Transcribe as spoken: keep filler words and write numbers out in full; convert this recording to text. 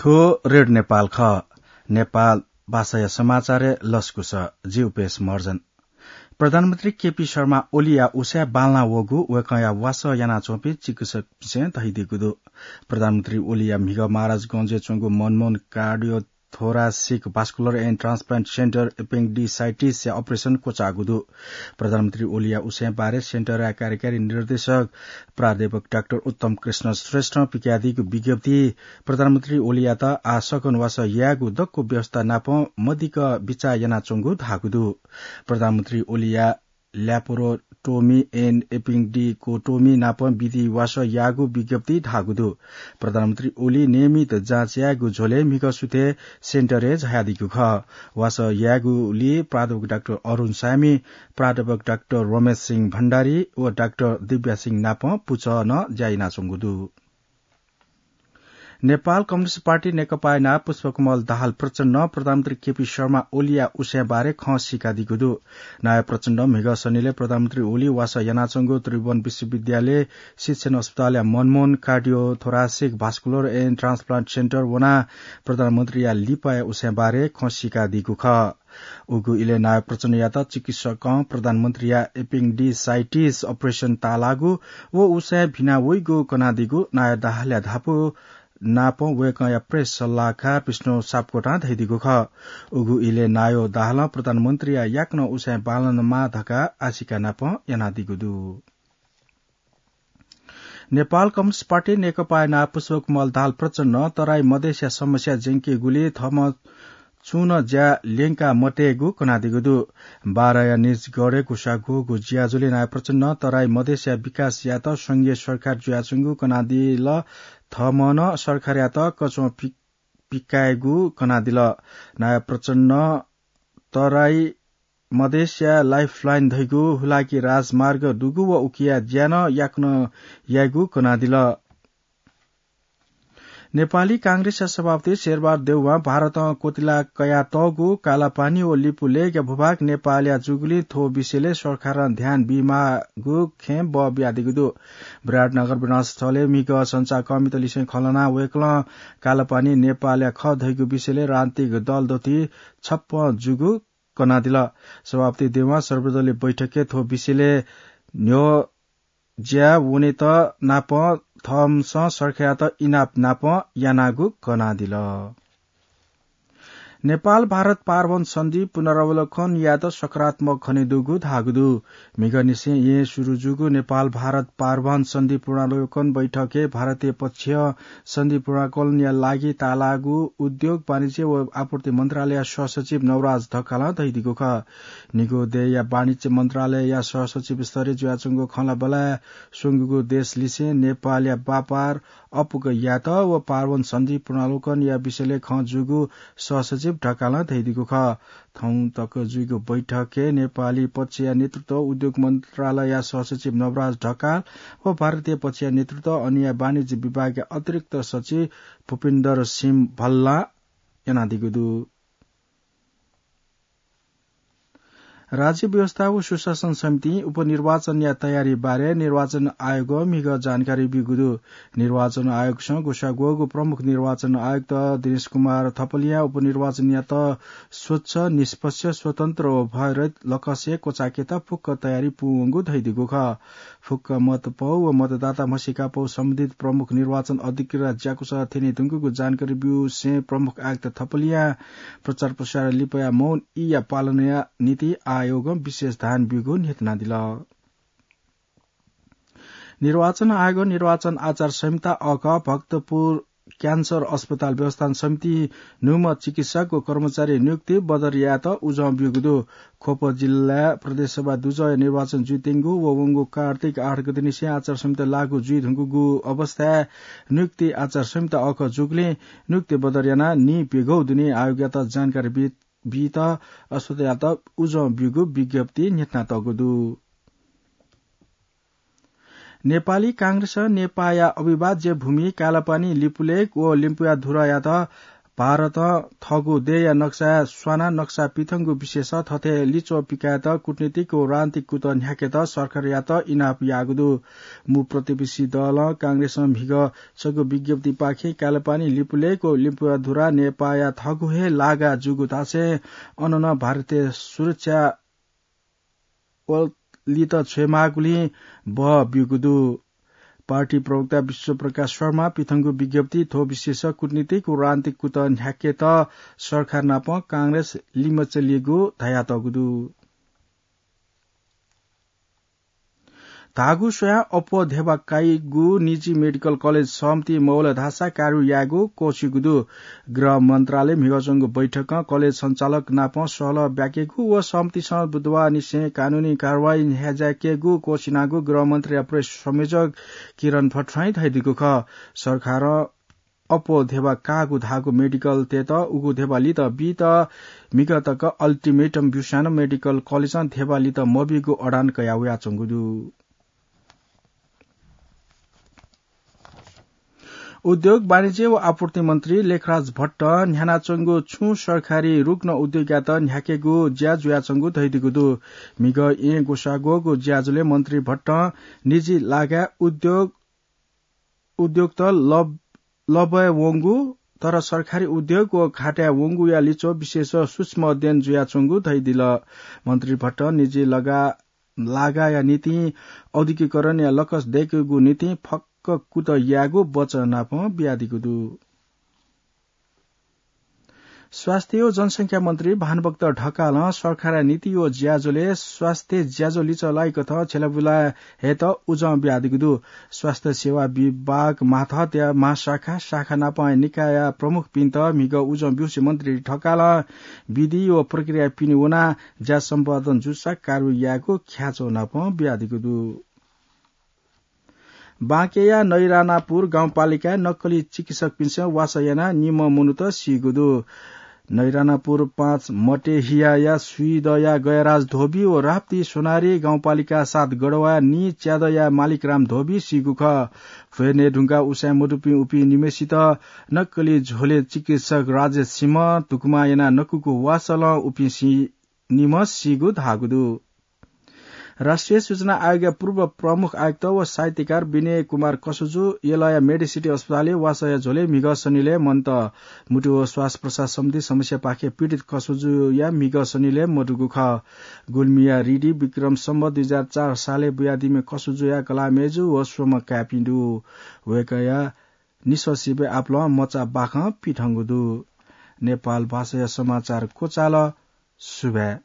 थ्व रेडियो नेपाल खः। नेपाल भाषाया समाचारय् लसकुस, जि उपेश महर्जन। प्रधानमन्त्री केपी शर्मा ओलीया उसाँय् बांलाः वःगु वय्कःया वासः यानाच्वंपिं चिकित्सकपिन्सं धयादीगु दु। प्रधानमन्त्री ओलीया म्हिगः महाराजगंजय् च्वंगु मनमोहन कार्डियोथोरासिक भास्कुलर एन्ड ट्रान्सप्लान्ट सेन्टर एपेन्डिसाइटिसया अपरेसन क्वचाःगु दु। प्रधानमन्त्री ओलीया उसाँय् बारे सेन्टरया कार्यकारी निर्देशक प्राध्यापक डाक्टर उत्तम कृष्ण श्रेष्ठं पिकादीगु विज्ञप्ति प्रधानमन्त्री ओलीयात आः सकन वासः यायेगु दक्व व्यवस्था नाप मदिक्क बिचाः यानाच्वंगु धाःगु दु। प्रधानमन्त्री ओलीया ल्यापोरोटोमी एन्ड एपिन्डिकोटोमी नाप विधि वासः याःगु विज्ञप्ति धाःगु दु। प्रधानमन्त्री ओली नियमित जाँच यायेगु झ्वलय् म्हिगः सुथय् सेन्टरय् झायादीगु खः। वासः यायेगुली प्राध्यापक डाक्टर अरुण साय्मी, प्राध्यापक डाक्टर रमेश सिंह भण्डारी व डाक्टर दिव्या सिंह नाप पुचः नं ज्या यानाच्वंगु दु। नेपाल कम्युनिस्ट पार्टी नेकपाया नायः पुष्पकमल दाहाल प्रचण्डं प्रधानमन्त्री केपी शर्मा ओलीया उसाँय् बारे खँ सीकादीगु दु। नायः प्रचण्डं म्हिगः शनिलय् प्रधानमन्त्री ओली वासः यानाच्वंगु त्रिभुवन विश्वविद्यालय शिक्षण अस्पतालया मनमोहन कार्डियोथोरासिक भास्कुलर एन्ड ट्रान्सप्लान्ट सेन्टर वनाः प्रधानमन्त्रीया लिपाया उसाँय् बारे खँ सीकादीगु खः। उगु इलय् नायः प्रचण्डयात चिकित्सकं प्रधानमन्त्रीया एपेन्डिसाइटिस अपरेसन ताःलाःगु व उसाँय् भिना वइगु कनादीगु नायः दाहालया धापू नाप वय्कःया प्रेस सल्लाहकार विष्णु सापकोटां धयादीगु खः। उगु इलय् नायः दाहालं प्रधानमन्त्रीया याकनं उसाँय् बांलानामाः धकाः आशिका नाप यानादीगु दु। नेपाल कम्युनिस्ट पार्टी नेकपाया नायः पुष्पकमल दाहाल प्रचण्डं तराई मधेसया समस्या ज्यंकेगुली थःम्हं छुं नं ज्या ल्यंका मतयेगु कनादीगु दु। बाराया निजगढय् गुसाग्वःगु ज्याझ्वलय् नायः प्रचण्डं तराई मधेसया विकास यायेत संघीय सरकार जुयाच्वंगु कनादिल। थःम्हं नं सरकारयात कच्वं पि-, पिकायेगु कनादिल। नायः प्रचण्डं तराई मधेसया लाइफलाइन धइगु हुलाकी राजमार्ग दुगु व उकिया ज्या नं याकनं यायेगु कनादिल। नेपाली कांग्रेसया सभापति शेरबहादुर देउवां भारतं क्वतिला कयातःगु कालापानी व लिपुलेकया भूभाग नेपालया जूगुलिं थ्व विषयलय् सरकारं ध्यान बीमाःगु खँय् बः बियादीगु दु। विराटनगर विमानस्थलय् म्हिगः सञ्चारकर्मीत लिसें खँ ल्हानाः वय्कलं कालापानी नेपालया खः धइगु विषयलय् राजनीतिक दल दथुइ छप्पँ जूगु कनादिल। सभापति देउवां सर्वदलीय बैठकय् थ्व विषयलय् न्ह्यः ज्या वनेत नाप थःम्हं सरकारयात इनाप नाप यानागु कनादिल। नेपाल भारत पारवन सन्धि पुनरावलोकन यायेत सकारात्मक खनेदुगु धाःगु दु। म्हिगःनिसें येँ सुरु जूगु नेपाल भारत पारवन सन्धि पुनरावलोकन बैठकय् भारतीय पक्षं सन्धि पुनरावलोकनया लागि ताःलाःगु उद्योग, वाणिज्य व आपूर्ति मन्त्रालयया सहसचिव नवराज ढकालं धयादीगु खः। निगू देय्‌या वाणिज्य मन्त्रालयया सहसचिव स्तरय् जुयाच्वंगु खँल्हाबल्हाय् स्वंगूगु देशलिसें नेपालया व्यापार अपुग यायेत व पारवन सन्धि पुनरावलोकनया विषयलय् खँ जूगु सहसचिव ढकालं धयादीगु खः। थौं तक जुइगु बैठकय् नेपाली पक्षया नेतृत्व उद्योग मन्त्रालयया सहसचिव नवराज ढकाल व भारतीय पक्षया नेतृत्व अनिया वाणिज्य विभागया अतिरिक्त सचिव भूपिन्दर सिंह भल्लां यानादीगु दु। राज्य व्यवस्था व सुशासन समितिं उपनिर्वाचनया तयारी बारे निर्वाचन आयोगं म्हिगः जानकारी ब्यूगु दु। निर्वाचन आयोगसं गुसाग्वःगु प्रमुख निर्वाचन आयुक्त दिनेश कुमार थपलियां उपनिर्वाचनयात स्वच्छ, निष्पक्ष, स्वतन्त्र व भयरहित लकसय् क्वचाकेत फुक्क तयारी पूवंगु धयादीगु खः। फुक्क मतपौ व मतदाता म्हसीकापौ सम्बन्धित प्रमुख निर्वाचन अधिकृतया ज्याकुसः थ्यने धुंकूगु जानकारी ब्यूसें प्रमुख आयुक्त थपलियां प्रचार प्रसार लिपया मौन ईया पालनया निंतिं आयोगं विशेष ध्यान ब्यूगु न्ह्यथनादिल। निर्वाचन आयोगं निर्वाचन आचार संहिता अःकः भक्तपुर क्यान्सर अस्पताल व्यवस्थापन समितिं न्हूम्ह चिकित्सक व कर्मचारी नियुक्ति बदर यायेत उजं ब्यूगु दु। ख्वप जिल्लाय् प्रदेश सभा दुजःया निर्वाचन जुइत्यंगु व वंगु कार्तिक आठ गतेनिसें आचार संहिता लागू जुइधुंकूगु अवस्थाय् नियुक्ति आचार संहिता अःकः जूगुलिं नियुक्ति बदर यानाः नीप्यघौ दुने आयोगयात जानकारी बी-, बीत अस्पतालयात उजं ब्यूगु विज्ञप्ति न्ह्यथनातःगु दु। नेपाली कांग्रेसं नेपाःया अविभाज्य भूमि कालापानी, लिपुलेक व लिम्पुया धुरायात भारतं थःगु देय्‌या नक्सा स्वानाः नक्सा पिथंगु विषयस थथे लिच्वः पिकायेत कूटनीतिक व राजनीतिक कुतः न्ह्याकेत सरकारयात इनाप याःगु दु। मू प्रतिपक्षी दलं कांग्रेसं म्हिगः छगू विज्ञप्तिपाखें कालापानी, लिपुलेक व लिम्पुवाधुरा नेपाःया थःगु हे लागा जूगु धासें अन नं भारतीय सुरक्षा बललित छ्वयेमाःगुलिं बह ब्यूगु दु। पार्टी प्रवक्ता विश्वप्रकाश शर्मा पिथंगु विज्ञप्ति थ्व विषयस कूटनीतिक व राजनीतिक कुतः न्ह्याकेत सरकार नाप कांग्रेस लिमचलिगु धयातःगु दु। धाःगु स्वयां अप्वः धेबा काइगु निजी मेडिकल कलेज सहमति मवल धाःसा कार्य यायेगु क्वःछिगु दु। गृह मन्त्रालय म्हिगः च्वंगु बैठकं कलेज सञ्चालक नाप सहलह ब्याकेगु व सहमतिसं बुधबारनिसें कानूनी कारवाही न्ह्याज्याकेगु क्वःछिनागु गृह मन्त्रालयया प्रेस संयोजक किरण भट्टराईं धयादीगु खः। सरकारं अप्वः धेबा काःगु धाःगु मेडिकलतय्‌त उगु धेबा लित बीत म्हिगः तक अल्टिमेटम ब्यूसां नं मेडिकल कलेजं धेबा लित मबीगु अडान कयावयाच्वंगु दु। उद्योग, वाणिज्य व आपूर्ति मन्त्री लेखराज भट्टं न्ह्यानाच्वंगु छुं सरकारी रुग्ण उद्योगयात न्ह्याकेगु ज्या जुयाच्वंगु धयादीगु दु। म्हिगः येँ ग्वसाः ग्वःगु ज्याझ्वलय् मन्त्री भट्टं निजी लागाय् उद्योग उद्योगत लब-, लबय् वंगु, तर सरकारी उद्योग व घाटाय् वंगुया लिच्वः विशेष सूक्ष्म अध्ययन जुयाच्वंगु धयादिल। मन्त्री भट्टं निजी लगा-, लागाया निंतिं औद्योगिकीकरणया लकस दय्‌केगु निंतिं फक्क कुतः यायेगु वचन नाप बियादीगु दु। स्वास्थ्य व जनसंख्या मन्त्री भानुभक्त ढकालं सरकारया नीति व ज्याझ्वलय् स्वास्थ्य ज्याझ्वः लिचः लाइकथं छ्यलाबुला हयेत उजं बियादीगु दु। स्वास्थ्य सेवा विभाग मातहतया महाशाखा, शाखा नापं निकायया प्रमुखपिन्त म्हिगः उजं ब्यूसे मन्त्री ढकालं विधि व प्रक्रिया पिने वनाः ज्या सम्पादन जूसा कारवाही यायेगु ख्याच्वः नाप बियादीगु दु। बाँकेया नैरानापुर गाउँपालिकाय् नक्कली चिकित्सकपिन्सं वासः यानाः निम्ह मनूत सीगु दु। नैरानापुर पाँच मटेहियाया स्वीदँया गयराज धोबी व राप्ती सोनारी गाउँपालिका सात गढवाया नीच्यादँया मालिकराम धोबी सीगु खः। भ्वय् नये धुंकाः उसाँय् मदुपिं उपिं निम्हय्‌सित नक्कली झ्वलय् चिकित्सक राजेश सिंहं धुकुमा यानाः नकूगु वासलं उपिं सी-, निम्ह सीगु धाःगु दु। राष्ट्रिय सूचना आयोगया पूर्व प्रमुख आयुक्त व साहित्यकार विनय कुमार कसुजु यलया मेडिसिटी अस्पतालय् वासःया झ्वलय् म्हिगः सनिलय् मन्त। मुटु व श्वास प्रश्वास सम्बन्धी समस्यापाखें पीडित कसुजुया म्हिगः सनिलय् मदुगु खः। गुल्मीया रिडी विक्रम सम्वत दुई हजार चार सालय् बुयादीम्ह कसुजुया कलाःमय्‌जु व स्वम्ह काय्‌पिं दु। वय्‌कःया निसः सिबय् आपालं मचा बाखं पिथंगु दु। नेपाल भाषाया समाचार क्वचाल। सुभाय्।